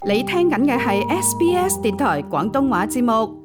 你聽緊嘅係 SBS 電台廣東話節目。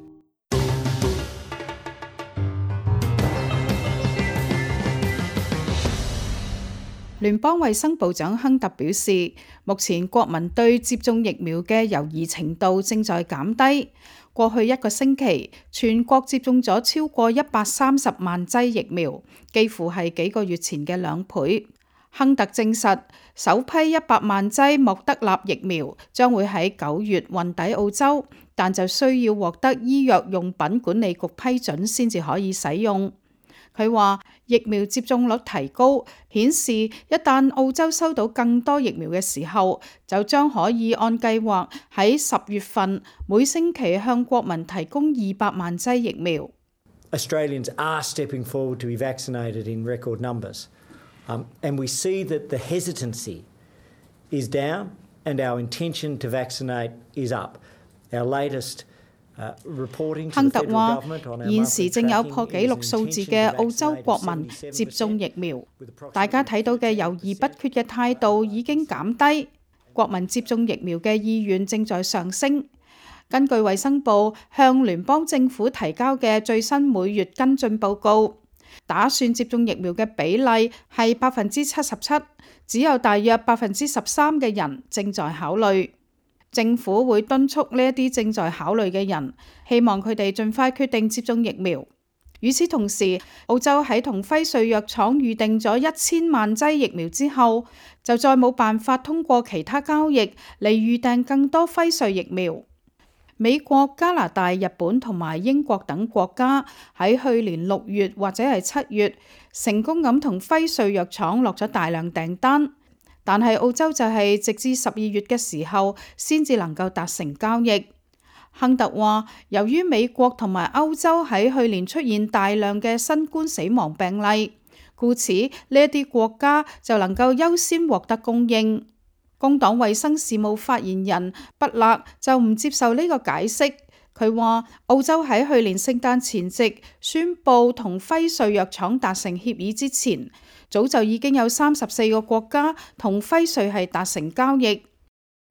聯邦衛生部長亨特表示，目前國民對接種疫苗嘅猶豫程度正在減低。過去一個星期，全國接種咗超過130萬劑疫苗，幾乎係幾個月前嘅2倍。亨特證實，首批100萬劑莫德納疫苗將會喺9月運抵澳洲，但就需要獲得醫藥用品管理局批准先至可以使用。佢話疫苗接種率提高，顯示一旦澳洲收到更多疫苗嘅時候，就將可以按計劃喺10月份每星期向國民提供200萬劑疫苗。Australians are stepping forward to be vaccinated in record numbers. And we see that the hesitancy is down and our intention to vaccinate is up. Our latest reporting to the federal government on our monthly tracking is intention to vaccinate. 現時正有破紀錄數字嘅澳洲國民接種疫苗，大家睇到嘅猶豫不決嘅態度已經減低，國民接種疫苗嘅意願正在上升。根據衛生部向聯邦政府提交嘅最新每月跟進報告，打算接種疫苗嘅比例係77%，只有大約13%嘅人正在考慮。政府會敦促呢一啲正在考慮嘅人，希望佢哋盡快決定接種疫苗。與此同時，澳洲喺同輝瑞藥廠預定咗1000萬劑疫苗之後，就再冇辦法通過其他交易嚟預訂更多輝瑞疫苗。美國、加拿大、日本同埋英國等國家喺去年6月或者係7月成功咁同輝瑞藥廠落咗大量訂單，但係澳洲就係直至12月嘅時候先至能夠達成交易。亨特話，由於美國同埋歐洲喺去年出現大量嘅新冠死亡病例，故此呢一啲國家就能夠優先獲得供應。工黨衛生事務發言人畢勒就唔接受呢個解釋，佢話澳洲喺去年聖誕前夕宣布同輝瑞藥廠達成協議之前，早就已經有34個國家同輝瑞係達成交易。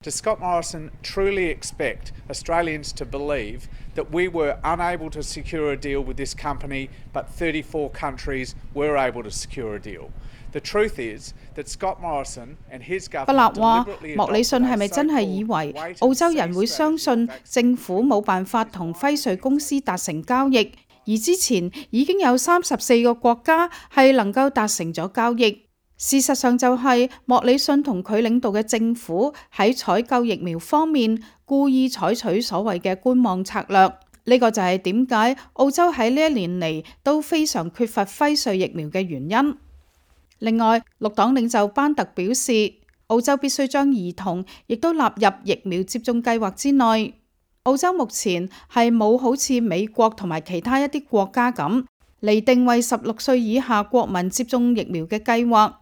Does Scott Morrison truly expect Australians to believe that we were unable to secure a deal with this company, but 34 countries were able to secure a deal?The truth is that Scott Morrison and his government 畢勒話，莫里遜係咪真係以為澳洲人會相信政府冇辦法同輝瑞公司達成交易，而之前已經有34個國家係能夠達成咗交易？事實上就係莫里遜同佢領導嘅政府喺採購疫苗方面故意採取所謂嘅觀望策略。呢個就係點解澳洲喺呢一年嚟都非常缺乏輝瑞疫苗嘅原因。另外，綠黨領袖班特表示，澳洲必須將兒童亦都納入疫苗接種計劃之內。澳洲目前係冇好似美國同埋其他一啲國家咁嚟定為16歲以下國民接種疫苗嘅計劃。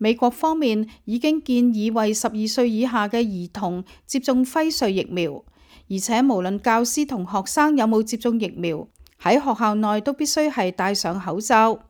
美國方面已經建議為12歲以下嘅兒童接種輝瑞疫苗，而且無論教師同學生有冇接種疫苗，喺學校內都必須係戴上口罩。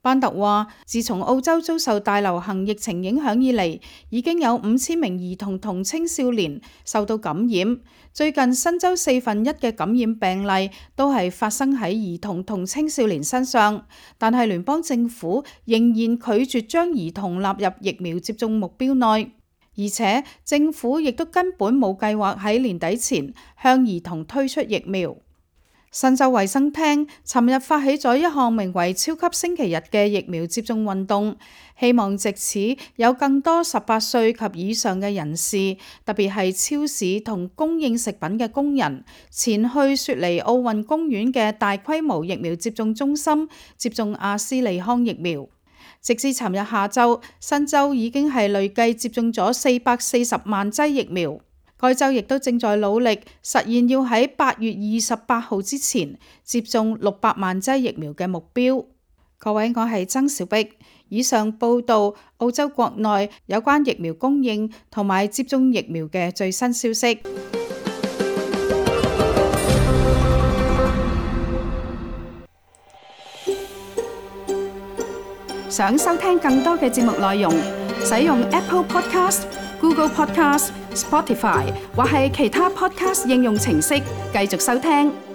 班特話，自從澳洲遭受大流行疫情影響以嚟，已經有5000名兒童同青少年受到感染。最近新州1/4嘅感染病例都係發生喺兒童同青少年身上，但係聯邦政府仍然拒絕將兒童納入疫苗接種目標內，而且政府亦都根本冇計劃喺年底前向兒童推出疫苗。新州衛生廳尋日發起咗一項名為超級星期日嘅疫苗接種運動，希望藉此有更多18歲及以上嘅人士，特別係超市同供應食品嘅工人，前去雪梨奧運公園嘅大規模疫苗接種中心接種阿斯利康疫苗。直至尋日下晝，新州已經係累計接種咗440萬劑疫苗。該州亦都正在努力實現要喺8月28號之前接種600萬劑疫苗嘅目標。各位，我係曾小碧。以上報道澳洲國內有關疫苗供應同埋接種疫苗嘅最新消息。想收聽更多嘅節目內容，使用 Apple Podcast、Google Podcast Spotify 或係其他 podcast 應用程式繼續收聽。